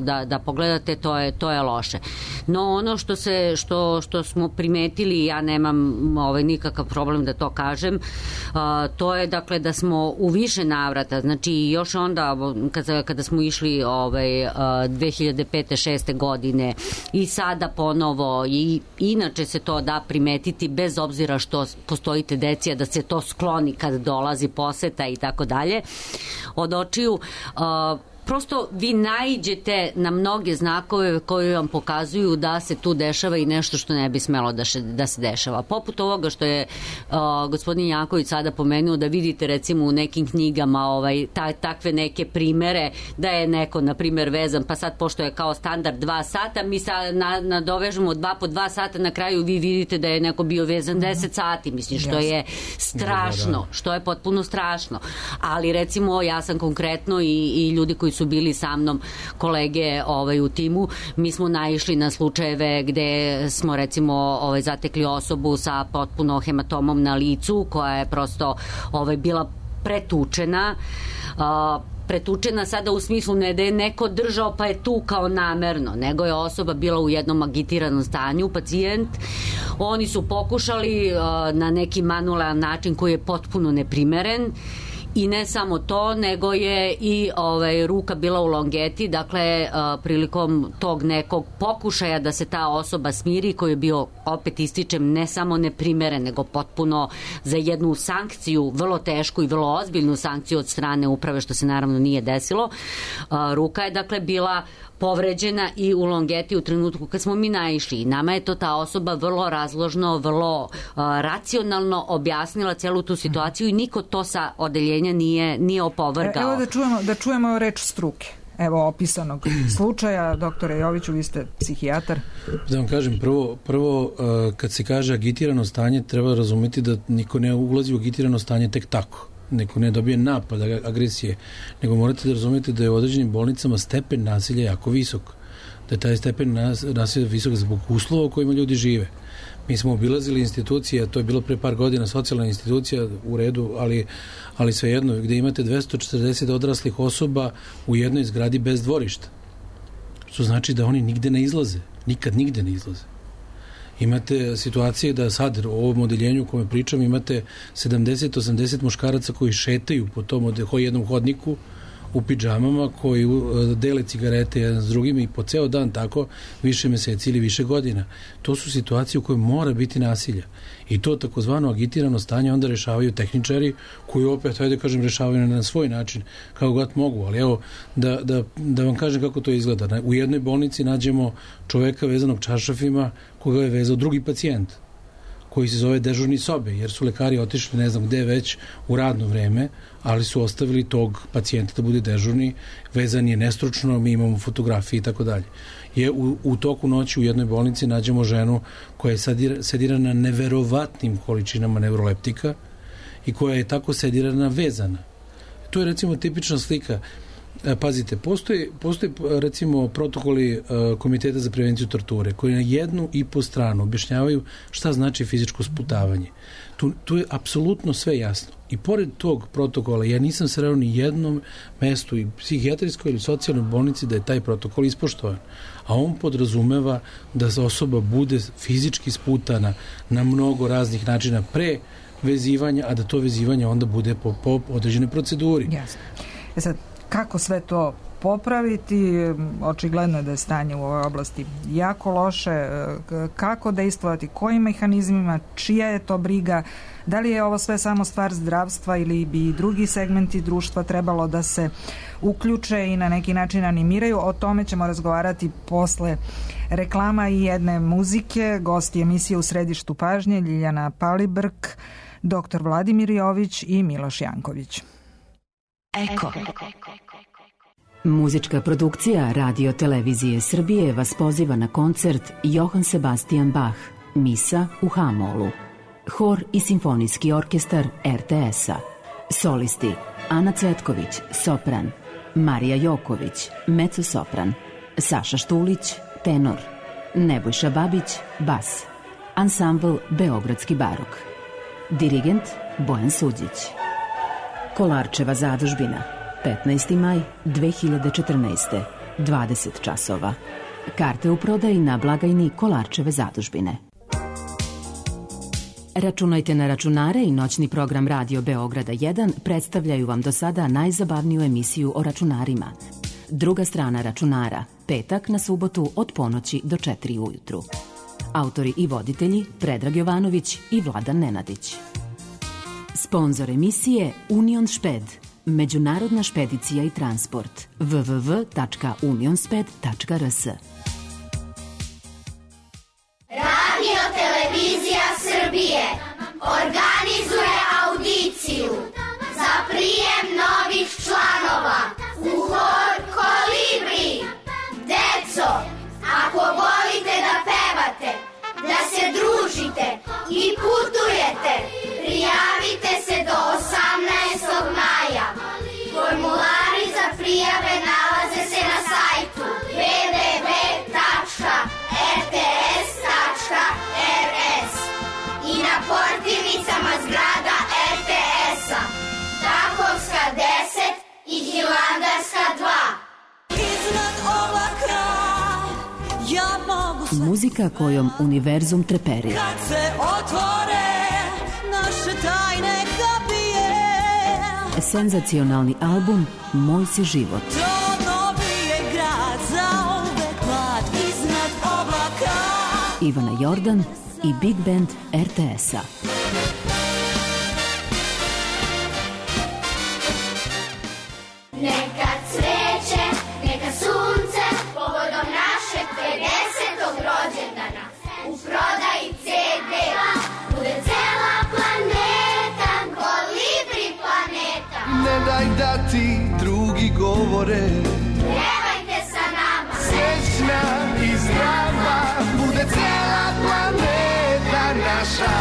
da, da pogledate, to je, to je loše. No, ono što, se, što, što smo primetili, ja nemam ovaj, nikakav problem da to kažem, a, to je, dakle, da smo u više navrata, znači, još onda, kada, kada smo išli ovaj, a, dve hiljade pete šeste godine i sada ponovo, i inače se to da primetiti bez obzira što postoji tendencija da se to skloni kad dolazi poseta i tako dalje od očiju. Uh, prosto vi naiđete na mnoge znakove koji vam pokazuju da se tu dešava i nešto što ne bi smelo da, še, da se dešava. Poput ovoga što je uh, gospodin Janković sada pomenuo, da vidite recimo u nekim knjigama ovaj, ta, takve neke primere da je neko na primer vezan, pa sad pošto je kao standard dva sata, mi sad na, nadovežemo dva po dva sata, na kraju vi vidite da je neko bio vezan deset sati, mislim, što je strašno, što je potpuno strašno. Ali recimo ja sam konkretno i, i ljudi koji su bili sa mnom, kolege ovaj, u timu, mi smo naišli na slučajeve gde smo recimo ovaj, zatekli osobu sa potpuno hematomom na licu koja je prosto ovaj, bila pretučena, uh, pretučena sada u smislu ne da je neko držao pa je tukao namerno, nego je osoba bila u jednom agitiranom stanju, pacijent. Oni su pokušali uh, na neki manualan način koji je potpuno neprimeren I ne samo to, nego je i ovaj, ruka bila u longeti, dakle prilikom tog nekog pokušaja da se ta osoba smiri, koji je bio, opet ističem, ne samo neprimeren, nego potpuno za jednu sankciju, vrlo tešku i vrlo ozbiljnu sankciju od strane uprave, što se naravno nije desilo. Ruka je dakle bila povređena i u longeti u trenutku kad smo mi naišli. I nama je to ta osoba vrlo razložno, vrlo uh, racionalno objasnila celu tu situaciju i niko to sa odeljenja nije, nije opovrgao. Evo da čujemo, da čujemo reč struke. Evo opisanog slučaja. Doktore Joviću, vi ste psihijatar. Da vam kažem, prvo, prvo uh, kad se kaže agitirano stanje, treba razumeti da niko ne ulazi u agitirano stanje tek tako. Neko ne dobije napad agresije, nego morate da razumete da je u određenim bolnicama stepen nasilja jako visok. Da je taj stepen nasilja visok zbog uslova u kojima ljudi žive. Mi smo obilazili institucije, a to je bilo pre par godina, socijalna institucija u redu, ali, ali svejedno, gde imate dvesta četrdeset odraslih osoba u jednoj zgradi bez dvorišta. Što znači da oni nigde ne izlaze. Nikad nigde ne izlaze. Imate situacije da sad u ovom odeljenju u kome pričam imate sedamdeset do osamdeset muškaraca koji šetaju po tom jednom hodniku u pidžamama, koji dele cigarete jedan s drugim i po ceo dan tako više meseci ili više godina. To su situacije u kojoj mora biti nasilja. I to takozvano agitirano stanje onda rešavaju tehničari koji opet, hajde kažem, rešavaju na svoj način kako god mogu. Ali evo, da, da, da vam kažem kako to izgleda. U jednoj bolnici nađemo čoveka vezanog čaršafima koga je vezao drugi pacijent, koji se zove dežurni sobe, jer su lekari otišli ne znam gde već u radno vreme, ali su ostavili tog pacijenta da bude dežurni, vezan je nestručno, mi imamo fotografije i tako dalje. Je u, u toku noći u jednoj bolnici nađemo ženu koja je sedira, sedirana neverovatnim količinama neuroleptika i koja je tako sedirana vezana. To je recimo tipična slika. Pazite, postoje, postoje recimo protokoli uh, Komiteta za prevenciju torture koji na jednu i po stranu objašnjavaju šta znači fizičko sputavanje. Tu, tu je apsolutno sve jasno. I pored tog protokola ja nisam sreo ni jednom mestu i psihijatrijskoj ili socijalnoj bolnici da je taj protokol ispoštovan. A on podrazumeva da osoba bude fizički sputana na mnogo raznih načina pre vezivanja, a da to vezivanje onda bude po, po određenoj proceduri. Jasno. E sad, kako sve to popraviti? Očigledno je da je stanje u ovoj oblasti jako loše. Kako dejstvovati? Kojim mehanizmima? Čija je to briga? Da li je ovo sve samo stvar zdravstva ili bi i drugi segmenti društva trebalo da se uključe i na neki način animiraju? O tome ćemo razgovarati posle reklama i jedne muzike. Gosti emisije U središtu pažnje Ljiljana Palibrk, doktor Vladimir Jović i Miloš Janković. Eko. Muzička produkcija Radio Televizije Srbije vas poziva na koncert Johann Sebastian Bach, Misa u H-molu. Hor i simfonijski orkestar er te es-a. Solisti Ana Cvetković, sopran, Marija Joković, mezzo-sopran, Saša Štulić, tenor, Nebojša Babić, bas. Ansambl Beogradski barok. Dirigent Bojan Suđić. Kolarčeva zadužbina, petnaesti maj dve hiljade četrnaeste, dvadeset časova. Karte u prodaji na blagajni Kolarčeve zadužbine. Računajte na računare i noćni program Radio Beograda jedan predstavljaju vam do sada najzabavniju emisiju o računarima. Druga strana računara, petak na subotu od ponoći do četiri ujutru. Autori i voditelji Predrag Jovanović i Vladan Nenadić. Sponzor emisije Union Šped, međunarodna špedicija i transport. w w w tačka unionsped tačka r s. Radio Televizija Srbije organizuje audiciju za prijem novih članova u hor Kolibri. Deco, ako volite da pevate, da se družite i putujete, prijavite se do osamnaestog maja. Formulari za prijave nalaze se na sajtu w w w tačka r t s tačka r s i na portirnicama zgrada er te es-a, Takovska deset i Hilandarska dva. Iznad oblaka ja mogu... Muzika kojom univerzum treperi. Kad se otvore naše tajne kapije, Senzacionalni album Moj si život. Ivana Jordan i Big Band er te es-a. Neka cveće, neka sunce, povodom našeg pedesetog rođendana. U prodaji ce de-a bude cela planeta, Kolibri planeta. Ne daj da ti drugi govore, pevajte sa nama, srećna i zdrava, bude cela planeta naša.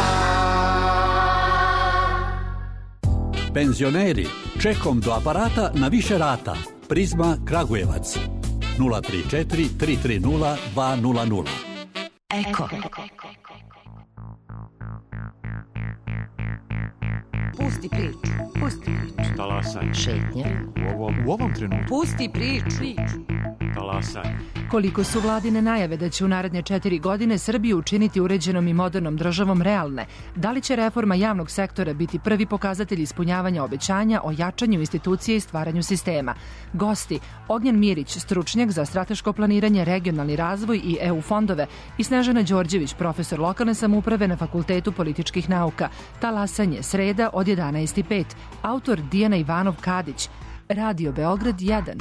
Penzioneri, čekom do aparata na više rata. Prizma Kragujevac. nula tri četiri tri tri nula dva nula nula. Eko. Pusti priču. Pusti priču. Talasaj. Šetnje. U ovom, u ovom trenutku. Pusti priču. Talasaj. Koliko su vladine najave da će u naredne četiri godine Srbiju učiniti uređenom i modernom državom realne? Da li će reforma javnog sektora biti prvi pokazatelj ispunjavanja obećanja o jačanju institucije i stvaranju sistema? Gosti: Ognjen Mirić, stručnjak za strateško planiranje, regionalni razvoj i e u fondove, i Snežana Đorđević, profesor lokalne samouprave na Fakultetu političkih nauka. Talasanje, sreda od jedanaest i pet. Autor Dijana Ivanov Kadić. Radio Beograd jedan.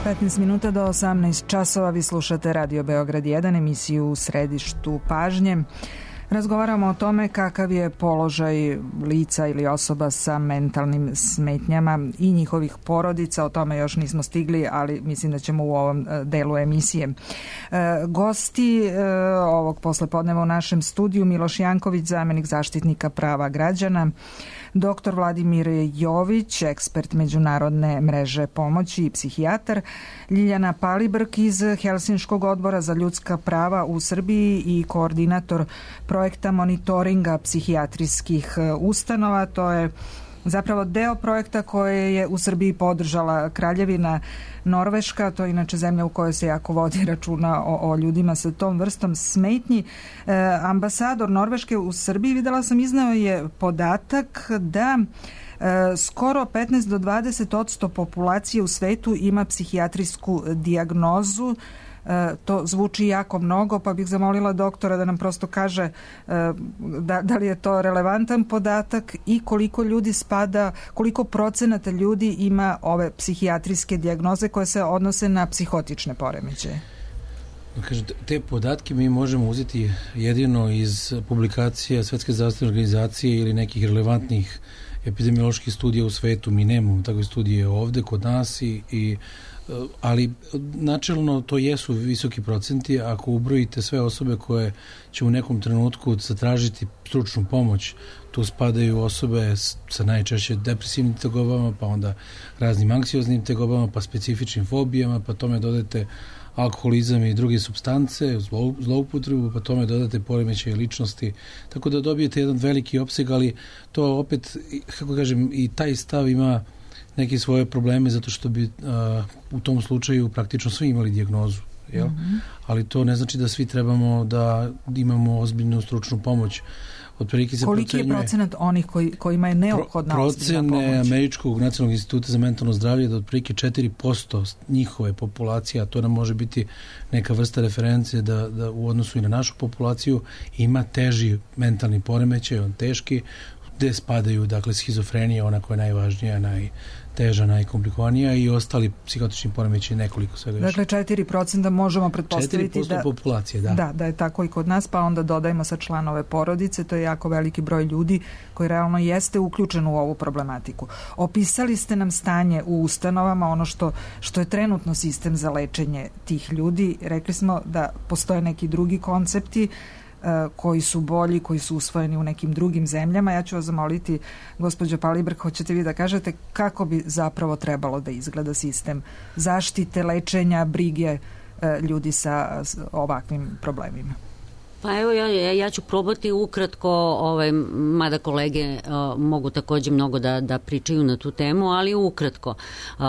petnaest minuta do osamnaest časova, vi slušate Radio Beograd jedan, emisiju u središtu pažnje. Razgovaramo o tome kakav je položaj lica ili osoba sa mentalnim smetnjama i njihovih porodica. O tome još nismo stigli, ali mislim da ćemo u ovom delu emisije. Gosti ovog poslepodneva u našem studiju: Miloš Janković, zamenik zaštitnika prava građana, doktor Vladimir Jović, ekspert Međunarodne mreže pomoći i psihijatar, Ljiljana Palibrk iz Helsinškog odbora za ljudska prava u Srbiji i koordinator projekta monitoringa psihijatrijskih ustanova. To je zapravo deo projekta koje je u Srbiji podržala Kraljevina Norveška, to je inače zemlja u kojoj se jako vodi računa o, o ljudima sa tom vrstom smetnji. E, ambasador Norveške u Srbiji, videla sam, iznao je podatak da e, skoro petnaest do dvadeset posto populacije u svetu ima psihijatrijsku dijagnozu. E, to zvuči jako mnogo, pa bih zamolila doktora da nam prosto kaže e, da, da li je to relevantan podatak i koliko ljudi spada, koliko procenata ljudi ima ove psihijatrijske dijagnoze koje se odnose na psihotične poremećaje. Kaže, te podatke mi možemo uzeti jedino iz publikacija Svetske zdravstvene organizacije ili nekih relevantnih epidemioloških studija u svetu. Mi nemamo takve studije ovde kod nas i, i ali načelno to jesu visoki procenti. Ako ubrojite sve osobe koje će u nekom trenutku zatražiti stručnu pomoć, tu spadaju osobe sa najčešće depresivnim tegobama, pa onda raznim anksioznim tegobama, pa specifičnim fobijama, pa tome dodate alkoholizam i druge supstance, zlou, zloupotrebu, pa tome dodate poremećaje ličnosti, tako da dobijete jedan veliki opseg, ali to opet, kako kažem, i taj stav ima neke svoje probleme, zato što bi a, u tom slučaju praktično svi imali dijagnozu, jel? Mm-hmm. Ali to ne znači da svi trebamo da imamo ozbiljnu stručnu pomoć. Otprilike se koliki je procenat onih koji, kojima je neophodna pro, ozbiljna pomoć? Procene Američkog nacionalnog instituta za mentalno zdravlje je da otprilike četiri posto njihove populacije, a to nam može biti neka vrsta reference da, da u odnosu i na našu populaciju ima teži mentalni poremećaj, on teški, gde spadaju, dakle, schizofrenija, ona koja je najvažnija, najteža, najkomplikovanija, i ostali psihotični poremećaji, nekoliko svega još. Dakle, četiri procenta možemo pretpostaviti da, populacije, da. Da, da je tako i kod nas, pa onda dodajemo sa članove porodice, to je jako veliki broj ljudi koji realno jeste uključen u ovu problematiku. Opisali ste nam stanje u ustanovama, ono što, što je trenutno sistem za lečenje tih ljudi. Rekli smo da postoje neki drugi koncepti koji su bolji, koji su usvojeni u nekim drugim zemljama. Ja ću vas zamoliti, gospođo Palibrk, hoćete vi da kažete kako bi zapravo trebalo da izgleda sistem zaštite, lečenja, brige ljudi sa ovakvim problemima? Pa evo, ja, ja ću probati ukratko, ovaj, mada kolege uh, mogu takođe mnogo da, da pričaju na tu temu, ali ukratko. Uh,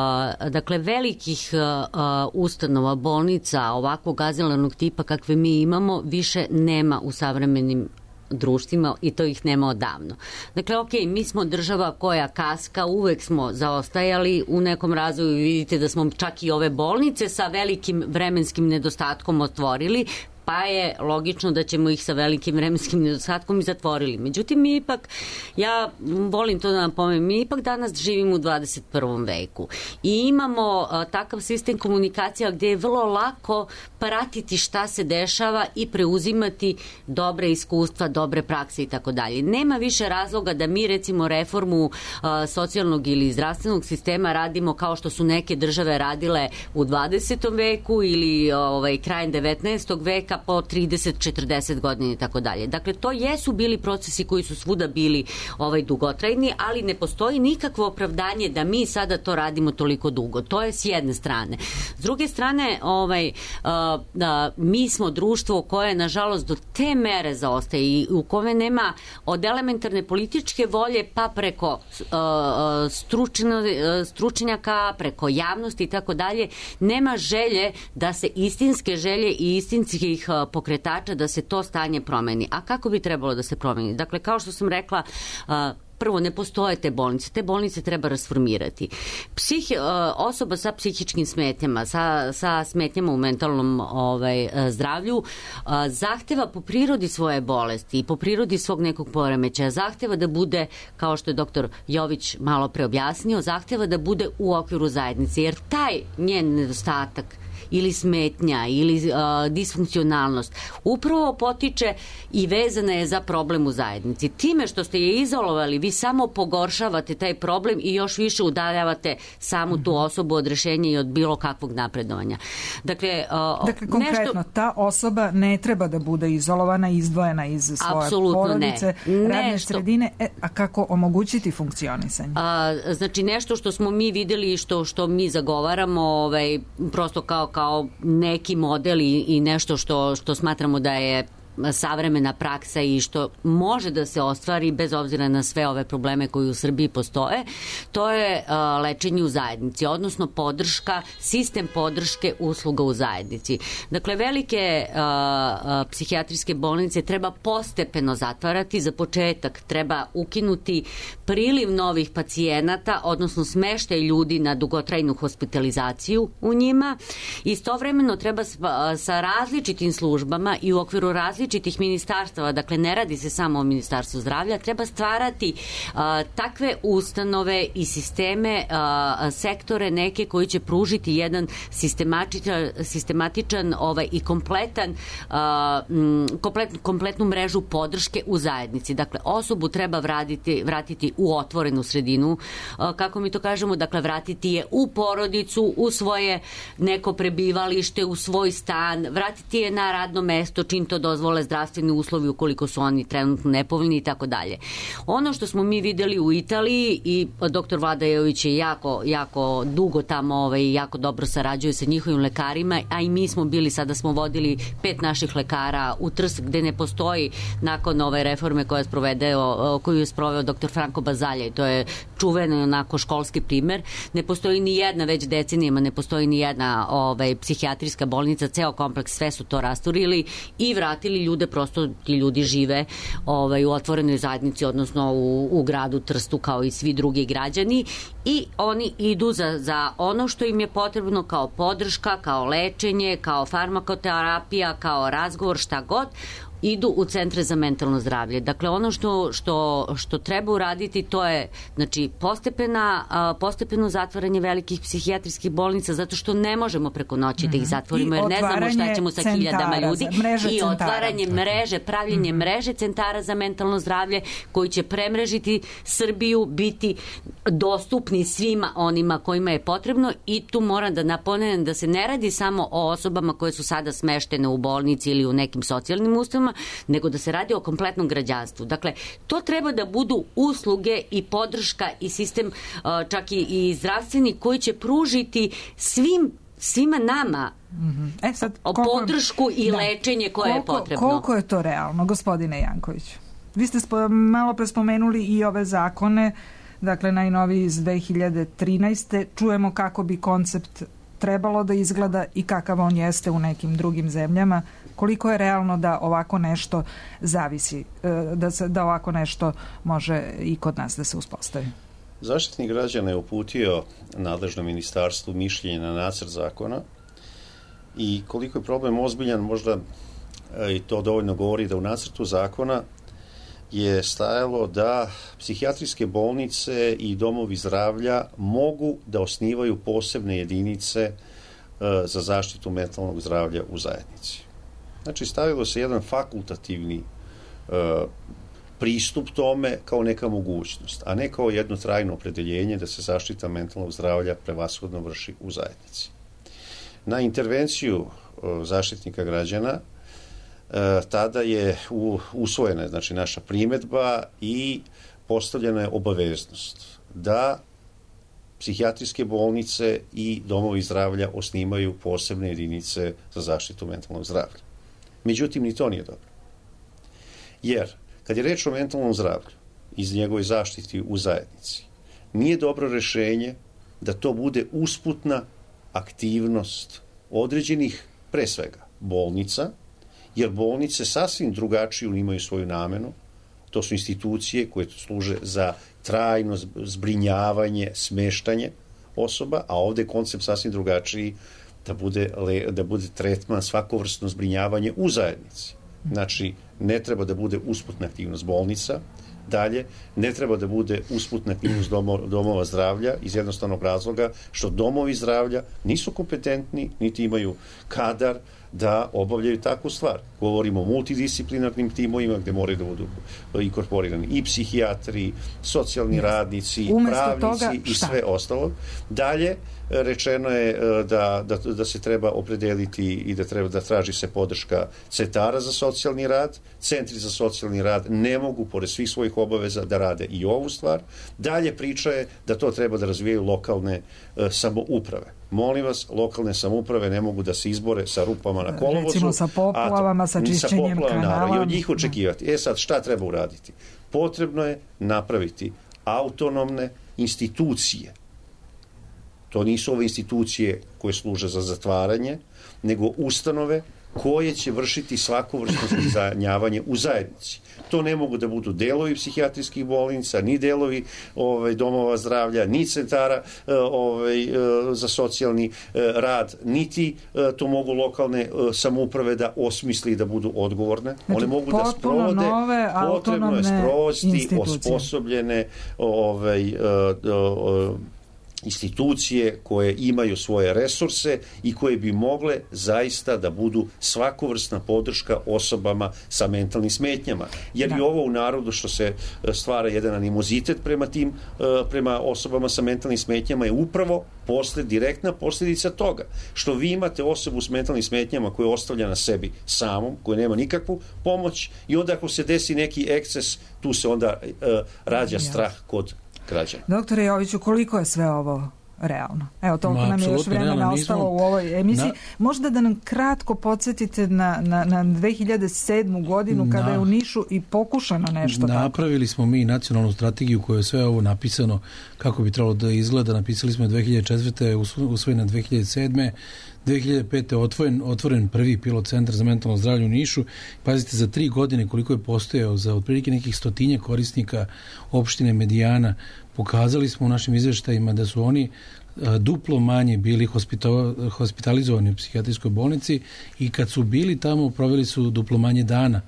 dakle, velikih uh, ustanova, bolnica ovakvog azilarnog tipa kakve mi imamo više nema u savremenim društvima i to ih nema odavno. Dakle, ok, mi smo država koja kaska, uvek smo zaostajali u nekom razvoju, vidite da smo čak i ove bolnice sa velikim vremenskim nedostatkom otvorili, pa je logično da ćemo ih sa velikim vremenskim nedostatkom i zatvorili. Međutim, mi ipak, ja volim to da napomenem, mi ipak danas živimo u dvadeset prvom veku i imamo a, takav sistem komunikacija gde je vrlo lako pratiti šta se dešava i preuzimati dobre iskustva, dobre prakse i tako dalje. Nema više razloga da mi, recimo, reformu a, socijalnog ili zdravstvenog sistema radimo kao što su neke države radile u dvadesetom veku ili ovaj, krajem devetnaestog veka, po trideset četrdeset godina i tako dalje. Dakle, to jesu bili procesi koji su svuda bili ovaj, dugotrajni, ali ne postoji nikakvo opravdanje da mi sada to radimo toliko dugo. To je s jedne strane. S druge strane, ovaj, a, a, mi smo društvo koje, nažalost, do te mere zaostaje i u kome nema od elementarne političke volje pa preko a, stručno, stručnjaka, preko javnosti i tako dalje, nema želje da se istinske želje i istinskih pokretača da se to stanje promeni. A kako bi trebalo da se promeni? Dakle, kao što sam rekla, prvo, ne postoje te bolnice, te bolnice treba rasformirati. Psih, osoba sa psihičkim smetnjama, sa, sa smetnjama u mentalnom ovaj, zdravlju, zahteva po prirodi svoje bolesti i po prirodi svog nekog poremećaja, zahteva da bude, kao što je doktor Jović malo pre objasnio, zahteva da bude u okviru zajednice, jer taj njen nedostatak ili smetnja ili uh, disfunkcionalnost upravo potiče i vezana je za problem u zajednici. Time što ste je izolovali, vi samo pogoršavate taj problem i još više udaljavate samu tu osobu od rešenja i od bilo kakvog napredovanja. Dakle, uh, dakle konkretno, nešto... ta osoba ne treba da bude izolovana, izdvojena iz svoje apsolutno porodice, ne. radne nešto... sredine, e, a kako omogućiti funkcionisanje? A, znači, nešto što smo mi videli i što, što mi zagovaramo, ovaj, prosto kao kao neki model i, i nešto što, što smatramo da je savremena praksa i što može da se ostvari bez obzira na sve ove probleme koji u Srbiji postoje, to je uh, lečenje u zajednici, odnosno podrška, sistem podrške usluga u zajednici. Dakle, velike uh, uh, psihijatrijske bolnice treba postepeno zatvarati. Za početak treba ukinuti priliv novih pacijenata, odnosno smeštaj ljudi na dugotrajnu hospitalizaciju u njima. Istovremeno treba sa, sa različitim službama i u okviru različitih različitih ministarstava, dakle ne radi se samo o Ministarstvu zdravlja, treba stvarati a, takve ustanove i sisteme, a, sektore neke koji će pružiti jedan sistematičan, sistematičan ovaj, i kompletan a, m, komplet, kompletnu mrežu podrške u zajednici. Dakle, osobu treba vratiti, vratiti u otvorenu sredinu, a, kako mi to kažemo, dakle vratiti je u porodicu, u svoje neko prebivalište, u svoj stan, vratiti je na radno mesto čim to dozvole zdravstveni uslovi ukoliko su oni trenutno nepovoljni i tako dalje. Ono što smo mi videli u Italiji i doktor Vlada Jović je jako, jako dugo tamo ovaj, jako dobro sarađuje sa njihovim lekarima, a i mi smo bili, sada smo vodili pet naših lekara u Trst gde ne postoji nakon ove reforme koja je sprovedeo, koju je sproveo doktor Franko Bazalja i to je čuveno onako školski primer. Ne postoji ni jedna, već decenijama ne postoji ni jedna ovaj, psihijatrijska bolnica, ceo kompleks, sve su to rasturili i vratili ljude, prosto ti ljudi žive ovaj, u otvorenoj zajednici, odnosno u, u gradu Trstu kao i svi drugi građani i oni idu za, za ono što im je potrebno kao podrška, kao lečenje, kao farmakoterapija, kao razgovor, šta god, idu u centre za mentalno zdravlje. Dakle, ono što, što, što treba uraditi to je znači, postepena, postepeno zatvaranje velikih psihijatrijskih bolnica zato što ne možemo preko noći mm-hmm. da ih zatvorimo jer ne znamo šta ćemo sa hiljadama ljudi i otvaranje mreže, pravljenje mm-hmm. mreže centara za mentalno zdravlje koji će premrežiti Srbiju, biti dostupni svima onima kojima je potrebno i tu moram da napomenem da se ne radi samo o osobama koje su sada smeštene u bolnici ili u nekim socijalnim ustanovama, nego da se radi o kompletnom građanstvu. Dakle, to treba da budu usluge i podrška i sistem, čak i, i zdravstveni, koji će pružiti svim svima nama mm-hmm. e sad, koliko, podršku i da, lečenje koje koliko, je potrebno. Koliko je to realno, gospodine Janković? Vi ste spo, malo pre spomenuli i ove zakone, dakle najnoviji iz dve hiljade trinaeste. Čujemo kako bi koncept trebalo da izgleda i kakav on jeste u nekim drugim zemljama. Koliko je realno da ovako nešto zavisi, da, se, da ovako nešto može i kod nas da se uspostavi? Zaštitnik građana je uputio nadležnom ministarstvu mišljenje na nacrt zakona i koliko je problem ozbiljan, možda i to dovoljno govori da u nacrtu zakona je stajalo da psihijatrijske bolnice i domovi zdravlja mogu da osnivaju posebne jedinice za zaštitu mentalnog zdravlja u zajednici. Znači, stavilo se jedan fakultativni uh, pristup tome kao neka mogućnost, a ne kao jedno trajno opredeljenje da se zaštita mentalnog zdravlja prevashodno vrši u zajednici. Na intervenciju uh, zaštitnika građana uh, tada je u, usvojena znači, naša primedba i postavljena je obaveznost da psihijatrijske bolnice i domovi zdravlja osnimaju posebne jedinice za zaštitu mentalnog zdravlja. Međutim, ni to nije dobro. Jer, kad je reč o mentalnom zdravlju iz njegove zaštiti u zajednici, nije dobro rešenje da to bude usputna aktivnost određenih, pre svega, bolnica, jer bolnice sasvim drugačiju imaju svoju namenu. To to su institucije koje služe za trajno zbrinjavanje, smeštanje osoba, a ovde je koncept sasvim drugačiji, da bude, da bude tretman, svakovrsno zbrinjavanje u zajednici. Znači, ne treba da bude usputna aktivnost bolnica, dalje, ne treba da bude usputna aktivnost domova zdravlja iz jednostavnog razloga što domovi zdravlja nisu kompetentni, niti imaju kadar da obavljaju takvu stvar. Govorimo o multidisciplinarnim timovima gde moraju da budu inkorporirani i psihijatri, socijalni radnici, pravnici i sve ostalo. Dalje, rečeno je da, da, da se treba opredeliti i da treba da traži se podrška centara za socijalni rad. Centri za socijalni rad ne mogu, pored svih svojih obaveza, da rade i ovu stvar. Dalje priča je da to treba da razvijaju lokalne e, samouprave. Molim vas, lokalne samouprave ne mogu da se izbore sa rupama na kolovozu. Recimo sa poplavama, sa čišćenjem kanala. I od njih očekivati. E sad, šta treba uraditi? Potrebno je napraviti autonomne institucije. To nisu ove institucije koje služe za zatvaranje, nego ustanove koje će vršiti svako vrsto zbrinjavanje u zajednici. To ne mogu da budu delovi psihijatrijskih bolnica, ni delovi ovaj, domova zdravlja, ni centara ovaj, za socijalni rad, niti to mogu lokalne samouprave da osmisli i da budu odgovorne. Znači, one mogu da sprovode, potrebno je sprovesti osposobljene ovaj, institucije koje imaju svoje resurse i koje bi mogle zaista da budu svakovrsna podrška osobama sa mentalnim smetnjama. Jer da. I ovo u narodu što se stvara jedan animozitet prema tim, prema osobama sa mentalnim smetnjama je upravo posled, direktna posljedica toga. Što vi imate osobu s mentalnim smetnjama koja je ostavlja na sebi samom, koja nema nikakvu pomoć i onda ako se desi neki eksces, tu se onda uh, rađa strah kod građana. Doktore Joviću, koliko je sve ovo realno? Evo, toliko Ma, nam je još vremena ostalo nismo... u ovoj emisiji. Na... Možda da nam kratko podsjetite na, na, na dve hiljade sedmu godinu na... kada je u Nišu i pokušano nešto tako. Napravili smo mi nacionalnu strategiju koja je sve ovo napisano kako bi trebalo da izgleda. Napisali smo je dve hiljade četvrte. usvojena dve hiljade sedme. dve hiljade pete. otvoren, otvoren prvi pilot centar za mentalno zdravlje u Nišu. Pazite, za tri godine koliko je postojao za otprilike nekih stotinje korisnika opštine Medijana, pokazali smo u našim izveštajima da su oni a, duplo manje bili hospito, hospitalizovani u psihijatrijskoj bolnici i kad su bili tamo proveli su duplo manje dana.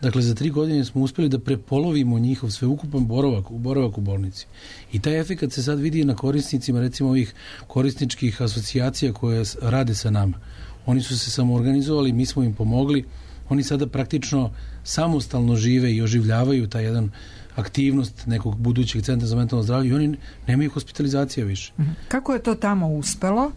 Dakle, za tri godine smo uspeli da prepolovimo njihov sveukupan boravak, boravak u bolnici. I taj efekt se sad vidi na korisnicima, recimo ovih korisničkih asocijacija koje rade sa nama. Oni su se samoorganizovali, mi smo im pomogli. Oni sada praktično samostalno žive i oživljavaju taj jedan aktivnost nekog budućeg centra za mentalno zdravlje i oni nemaju hospitalizacije više. Kako je to tamo uspelo,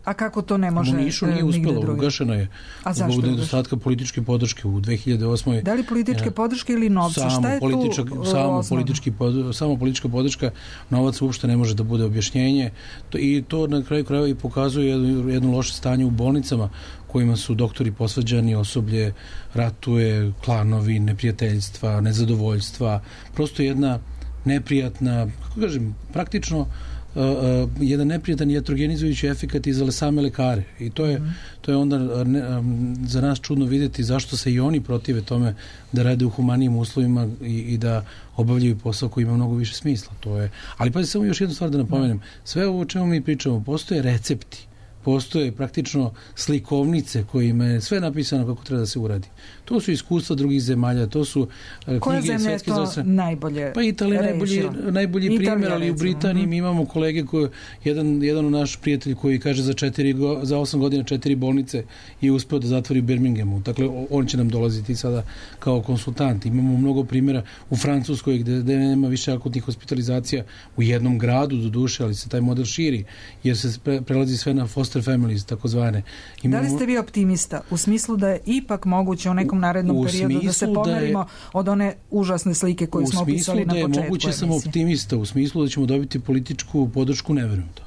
a kako to ne može? U Nišu nije uspelo, ugašeno je. A zašto? Zbog nedostatka političke podrške u dve hiljade osmoj. Da li političke podrške ili novca? Šta je tu samo, politički, samo politička podrška, novac uopšte ne može da bude objašnjenje to, i to na kraju krajeva i pokazuje jedno, jedno loše stanje u bolnicama kojima su doktori posvađani, osoblje ratuje, klanovi, neprijateljstva, nezadovoljstva, prosto jedna neprijatna, kako kažem, praktično uh, uh, jedan neprijatan iatrogenizujući efekat i za same lekare. I to je, mm. to je onda ne, um, za nas čudno vidjeti zašto se i oni protive tome da rade u humanijim uslovima i, i da obavljaju posao koji ima mnogo više smisla. To je, ali pa samo još jednu stvar da napomenem. Sve ovo o čemu mi pričamo, postoje recepti. Postoje praktično slikovnice kojima je sve napisano kako treba da se uradi. To su iskustva drugih zemalja, to su knjige Koja zemlja je to zase... najbolje Pa Italija najbolji, najbolji Italija, primjer, ali recimo. U Britaniji mi imamo kolege koji, jedan, jedan naš prijatelj koji kaže za, četiri, za osam godina četiri bolnice je uspeo da zatvori u Birminghamu. Dakle, on će nam dolaziti sada kao konsultant. Imamo mnogo primjera u Francuskoj gde, gde nema više akutnih hospitalizacija u jednom gradu do duše, ali se taj model širi jer se pre, prelazi sve na foster families, takozvane. Imamo... Da li ste vi optimista u smislu da je ipak moguće u nekom narednom u periodu da se pomerimo da je, od one užasne slike koju smo opisali na početku emisije? U smislu da je moguće sam optimista, u smislu da ćemo dobiti političku podršku, ne verujem to.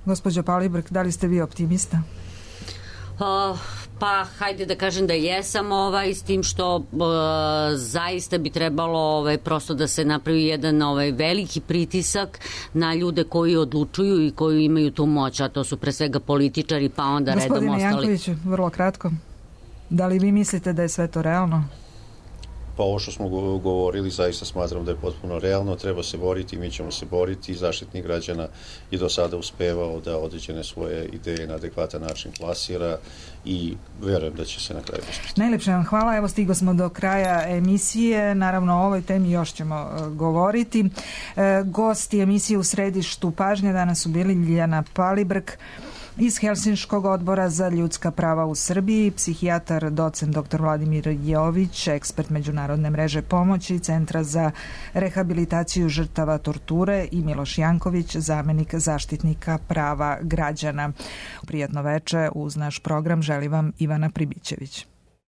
Gospođo Palibrk, da li ste vi optimista? Uh, pa hajde da kažem da jesam ovaj, s tim što uh, zaista bi trebalo ovaj, prosto da se napravi jedan ovaj, veliki pritisak na ljude koji odlučuju i koji imaju tu moć, a to su pre svega političari, pa onda Gospodine redom ostali. Gospodine Jankoviću, vrlo kratko, da li vi mislite da je sve to realno? Pa ovo što smo govorili zaista smatram da je potpuno realno, treba se boriti, mi ćemo se boriti, Zaštitnik građana je do sada uspevao da određene svoje ideje na adekvatan način plasira i verujem da će se na kraju uspjeti. Najlepše vam hvala, evo stigo smo do kraja emisije, naravno o ovoj temi još ćemo uh, govoriti. Uh, gosti emisije U središtu pažnje danas su bili Ljiljana Palibrk iz Helsinškog odbora za ljudska prava u Srbiji, psihijatar, docent doktor Vladimir Jović, ekspert Međunarodne mreže pomoći, Centra za rehabilitaciju žrtava torture i Miloš Janković, zamenik zaštitnika prava građana. Prijatno veče, uz naš program želi vam Ivana Pribićević.